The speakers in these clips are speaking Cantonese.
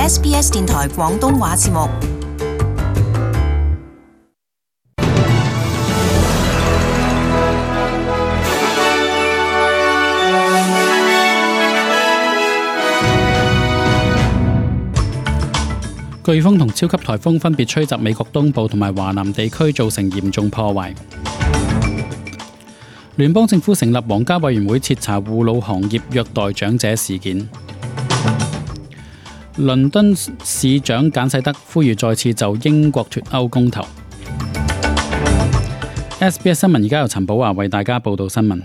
SBS 電台廣東話節目。颶風同超級颱風分別吹襲美國東部同埋華南地區，造成嚴重破壞。聯邦政府成立皇家委員會徹查護老行業虐待長者事件。倫敦市長簡世德呼籲再次就英國脫歐公投。SBS 新聞而家由陳寶華為大家報道新聞。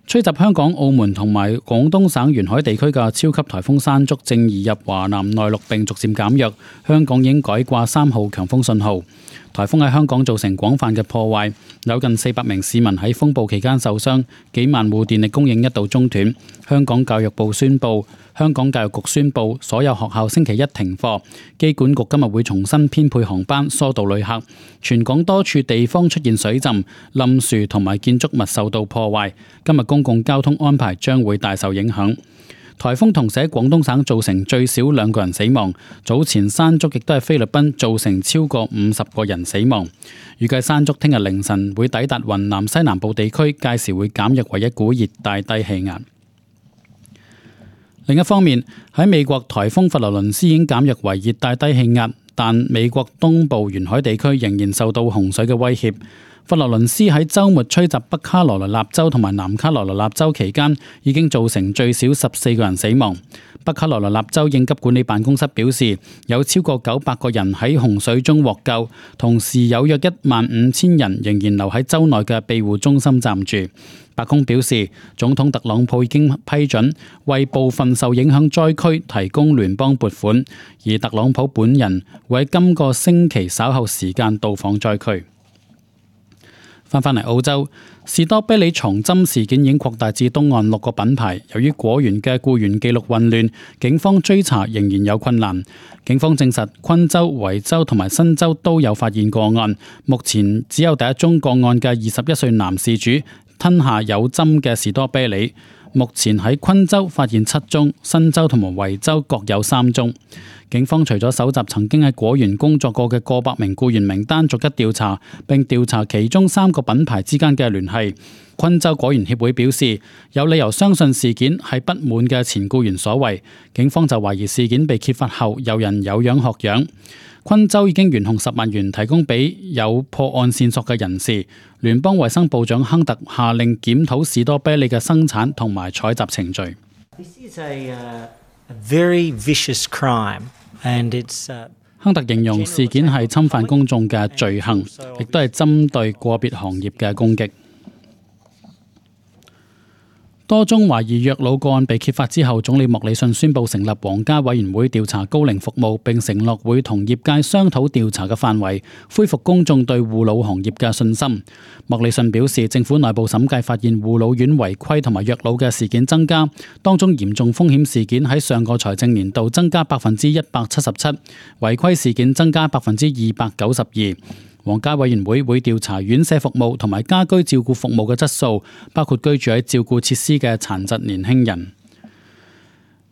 吹襲香港、澳門同埋廣東省沿海地區嘅超級颱風山竹正移入華南內陸並逐漸減弱，香港已經改掛3號強風信號。颱風喺香港造成廣泛嘅破壞，有近400名市民喺風暴期間受傷，幾萬戶電力供應一度中斷。香港教育局宣布所有學校星期一停課。機管局今日會重新編配航班，疏導旅客。全港多處地方出現水浸、冧樹同埋建築物受到破壞。今日公共交通安排將會大受影響。颱風同時喺廣東省造成最少2個人死亡，早前山竹亦都喺菲律賓造成超過50個人死亡。預計山竹聽日凌晨會抵達雲南西南部地區，屆時會減弱為一股熱帶低氣壓。另一方面，喺美國颱風佛羅倫斯已經減弱為熱帶低氣壓，但美國東部沿海地區仍然受到洪水嘅威脅。佛羅倫斯喺週末吹襲北卡羅來納州同埋南卡羅來納州期間，已經造成最少14個人死亡。北卡羅來納州應急管理辦公室表示，有超過900個人喺洪水中獲救，同時有約15000人仍然留喺州內嘅庇護中心暫住。白宮表示，總統特朗普已經批准為部分受影響災區提供聯邦撥款，而特朗普本人會喺今個星期稍後時間到訪災區。翻返嚟澳洲，士多啤梨藏針事件已經擴大至東岸6個品牌。由於果園嘅僱員記錄混亂，警方追查仍然有困難。警方證實昆州、維州同埋新州都有發現個案，目前只有第一宗個案嘅21歲男事主吞下有針嘅士多啤梨。目前喺昆州發現7宗，新州同埋維州各有3宗。警方除咗搜集曾經喺果園工作過嘅過百名僱員名單，逐一調查，並調查其中3個品牌之間嘅聯繫。昆州果園協會表示，有理由相信事件係不滿嘅前僱員所為。警方就懷疑事件被揭發後，有人有樣學樣。昆州已經懸紅10萬元提供俾有破案線索嘅人士。聯邦衛生部長亨特下令檢討士多啤梨嘅生產同埋採集程序。Very vicious crime, and it's, 亨特形容事件係侵犯公眾嘅罪行，亦都係針對個別行業嘅攻擊。多宗懷疑虐老個案被揭發之後，總理莫里遜宣布成立皇家委員會調查高齡服務，並承諾會同業界商討調查嘅範圍，恢復公眾對護老行業嘅信心。莫里遜表示，政府內部審計發現護老院違規同埋虐老嘅事件增加，當中嚴重風險事件喺上個財政年度增加177%，違規事件增加292%。皇家委員會會調查院舍服務同埋家居照顧服務嘅質素，包括居住喺照顧設施嘅殘疾年輕人。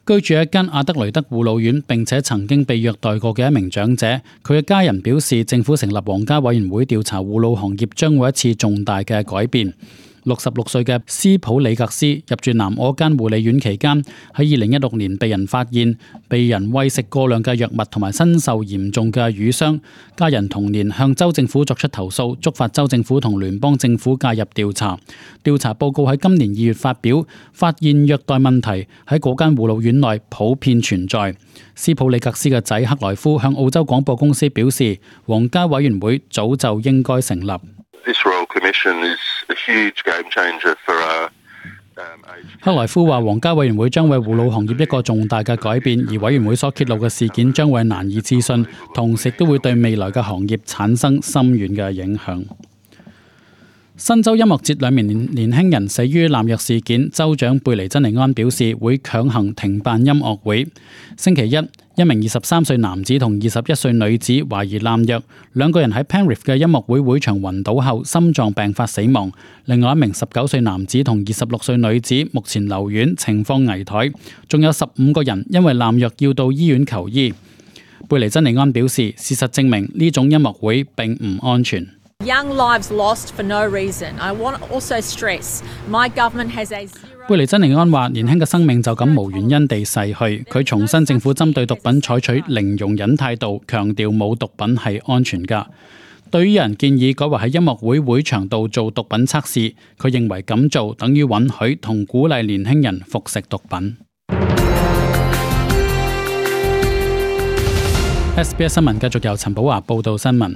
居住喺一間阿德雷德護老院並且曾經被虐待過嘅一名長者，佢嘅家人表示，政府成立皇家委員會調查護老行業將會一次重大嘅改變。66歲嘅斯普里格斯入住南澳間護理院期間，喺2016年被人發現被人餵食過量嘅藥物同埋身受嚴重嘅瘀傷。家人同年向州政府作出投訴，觸發州政府同聯邦政府介入調查。調查報告喺今年2月發表，發現虐待問題喺嗰間護老院內普遍存在。斯普里格斯嘅仔克萊夫向澳洲廣播公司表示，皇家委員會早就應該成立。克萊夫話，皇家委員會將為護老行業一個重大嘅改變，而委員會所揭露嘅事件將會難以置信，同時都會對未來嘅行業產生深遠嘅影響。新州音樂節兩名年輕人死於濫藥事件，州長貝尼珍尼安表示會強行停辦音樂會。星期一名23歲男子同21歲女子懷疑濫藥，兩個人喺 Penrith 嘅音樂會會場暈倒後心臟病發死亡。另外一名19歲男子同26歲女子目前留院，情況危殆。仲有15個人因為濫藥要到醫院求醫。貝尼珍尼安表示，事實證明呢種音樂會並唔安全。Young lives lost for no reason. I want to also stress my government has a zero. 貝尼珍尼安話：年輕嘅生命就咁無原因地逝去。佢重申政府針對毒品採取零容忍態度，強調冇毒品係安全㗎。對於有人建議改為喺音樂會會場度做毒品測試，佢認為咁做等於允許同鼓勵年輕人服食毒品。SBS 新聞繼續由陳寶華報道新聞。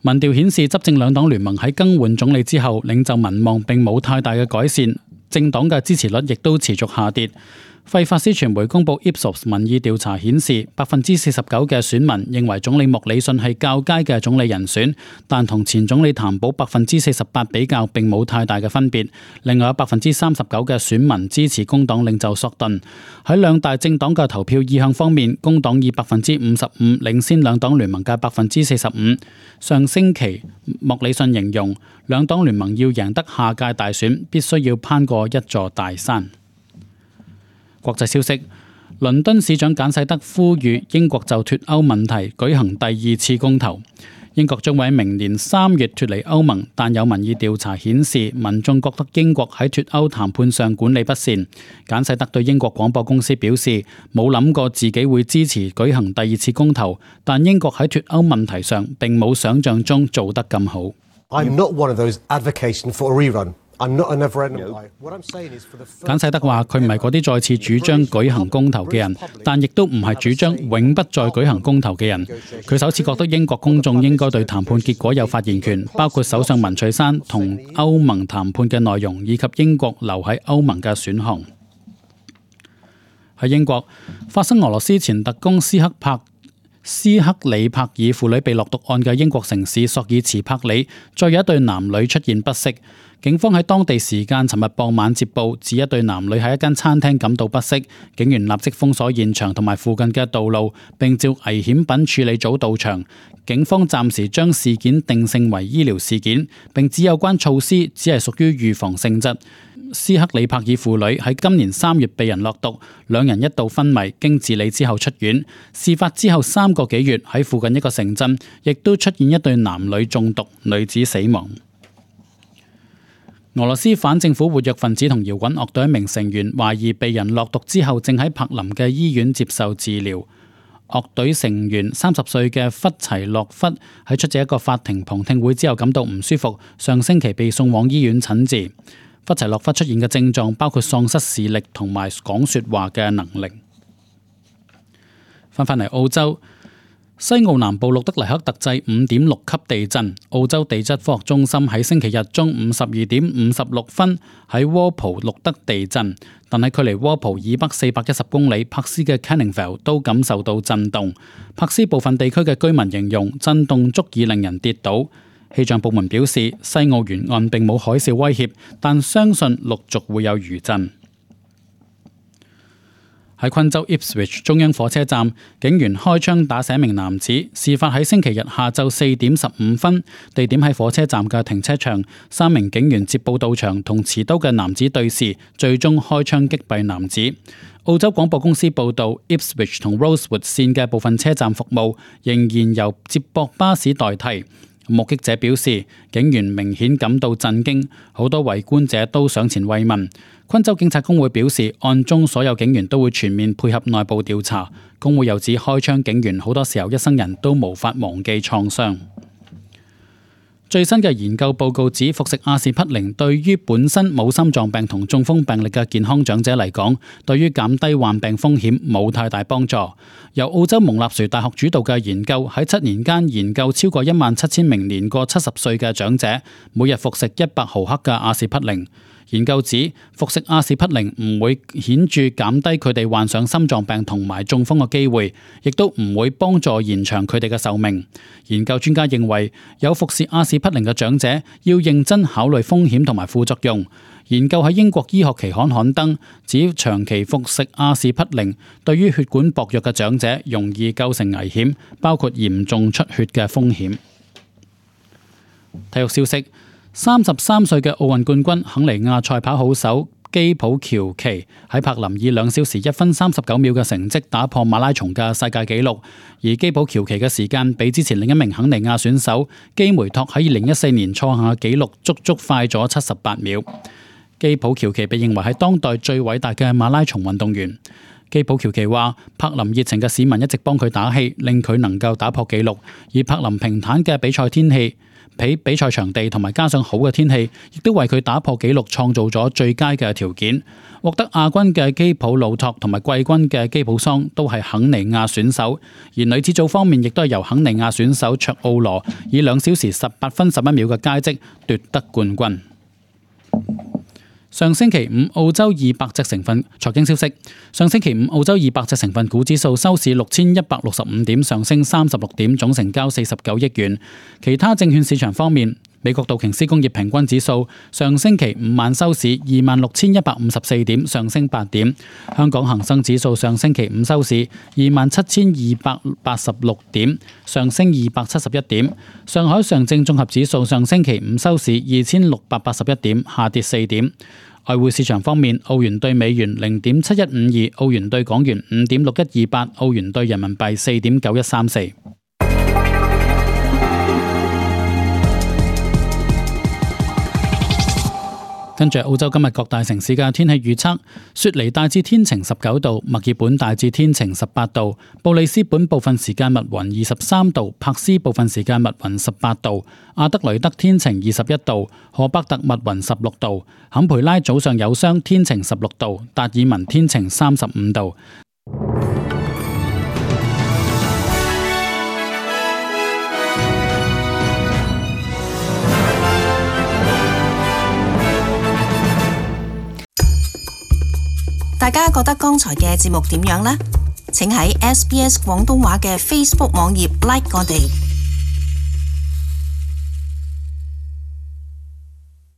民調顯示，執政兩黨聯盟喺更換總理之後，領袖民望並冇太大嘅改善，政黨嘅支持率亦都持續下跌。費法斯傳媒公佈 Ipsos 民意調查顯示，49%嘅選民認為總理莫里遜係較佳嘅總理人選，但同前總理譚寶48%比較並冇太大嘅分別。另外有39%嘅選民支持工黨領袖索頓。喺兩大政黨嘅投票意向方面，工黨以55%領先兩黨聯盟嘅45%。上星期莫里遜形容，兩黨聯盟要贏得下屆大選，必須要攀過一座大山。國際消息，倫敦市長簡世德呼籲英國就脫歐問題舉行第二次公投。英國將會喺明年3月脫離歐盟，但有民意調查顯示，民眾覺得英國喺脫歐談判上管理不善。簡世德對英國廣播公司表示，冇諗過自己會支持舉行第二次公投，但英國喺脫歐問題上並冇想象中做得咁好。I'm not one of those advocating for a rerun.簡世德話：佢唔係嗰啲再次主張舉行公投嘅人，但亦都唔係主張永不再舉行公投嘅人。佢首次覺得英國公眾應該對談判結果有發言權，包括首相文翠珊同歐盟談判嘅內容，以及英國留喺歐盟嘅選項。喺英國發生俄羅斯前特工斯克里帕爾父女被落毒案嘅英國城市索爾茨柏里，再有一對男女出現不適。警方喺當地時間尋日傍晚接報，指一對男女喺一間餐廳感到不適，警員立即封鎖現場同埋附近嘅道路，並召危險品處理組到場。警方暫時將事件定性為醫療事件，並指有關措施只係屬於預防性質。斯克里帕爾父女喺今年3月被人落毒，兩人一度昏迷，經治理之後出院。事發之後3個幾月，喺附近一個城鎮亦都出現一對男女中毒，女子死亡。俄羅斯反政府活躍分子同搖滾樂隊一名成員懷疑被人落毒之後，正喺柏林嘅醫院接受治療。樂隊成員30歲嘅弗齊洛夫喺出席一個法庭旁聽會之後感到唔舒服，上星期被送往醫院診治。弗齊洛夫出現嘅症狀包括喪失視力同埋講說話嘅能力。翻返嚟澳洲。西澳南部錄得黎克特制5.6級地震，澳洲地質科學中心喺星期日中午12點56分喺窩浦錄得地震，但係距離窩浦以北410公里柏斯嘅 Canningvale 都感受到震動。柏斯部分地區嘅居民形容震動足以令人跌倒。氣象部門表示，西澳沿岸並冇海嘯威脅，但相信陸續會有餘震。喺昆州 Ipswich 中央火車站，警員開槍打死一名男子。事發喺星期日下晝4點15分，地點喺火車站嘅停車場。3名警員接報到場，同持刀嘅男子對峙，最終開槍擊斃男子。澳洲廣播公司報導 ，Ipswich 同 Rosewood 線嘅部分車站服務仍然由接駁巴士代替。目擊者表示，警員明顯感到震驚，好多圍觀者都上前慰問。昆州警察工會表示，案中所有警員都會全面配合內部調查。工會又指，開槍警員好多時候一生人都無法忘記創傷。最新嘅研究報告指，服食阿士匹靈對於本身冇心臟病同中風病歷嘅健康長者嚟講，對於減低患病風險冇太大幫助。由澳洲蒙納殊大學主導嘅研究喺7年間研究超過17000名年過70歲嘅長者，每日服食100毫克嘅阿士匹靈。研究指服食阿士匹靈唔會顯著減低佢哋患上心臟病同埋中風嘅機會，亦都唔會幫助延長佢哋嘅壽命。研究專家認為，有服侍阿士匹靈嘅長者要認真考慮風險同埋副作用。研究喺英國醫學期刊刊登，指長期服食阿士匹靈對於血管薄弱嘅長者容易構成危險，包括嚴重出血嘅風險。體育消息：33歲嘅奧運冠軍肯尼亞賽跑好手基普喬奇喺柏林以2小時1分39秒嘅成績打破馬拉松嘅世界紀錄，而基普喬奇嘅時間比之前另一名肯尼亞選手基梅托喺2014年創下紀錄足足快咗78秒。基普喬奇被認為係當代最偉大嘅馬拉松運動員。基普喬奇話：柏林熱情嘅市民一直幫佢打氣，令佢能夠打破紀錄。而柏林平坦嘅比賽天氣、比賽場地同埋加上好嘅天氣，亦都為佢打破紀錄創造咗最佳嘅條件。獲得亞軍嘅基普魯托同埋季軍嘅基普桑都係肯尼亞選手。而女子組方面亦都係由肯尼亞選手卓奧羅以2小時18分11秒嘅佳績奪得冠軍。上星期五澳洲200隻成分財經消息，上星期五澳洲200隻成分股指數收市6165點，上升36點，總成交49億元。其他證券市場方面，美國道瓊斯工業平均指數上星期五晚收市26,154點，上升8點。香港恒生指數上星期五收市27,286點，上升271點。上海上證綜合指數上星期五收市2,681點，下跌4點。外匯市場方面，澳元兌美元0.7152，澳元兌港元5.6128，澳元兌人民幣4.9134。跟住澳洲今日各大城市嘅天氣預測：雪梨大致天晴19度，墨爾本大致天晴18度，布里斯本部分時間密雲23度，柏斯部分時間密雲18度，阿德雷德天晴21度，荷伯特密雲16度，坎培拉早上有霜天晴16度，達爾文天晴35度。大家覺得剛才嘅節目點樣呢？請喺SBS 廣東話嘅 Facebook 網頁 like 我哋。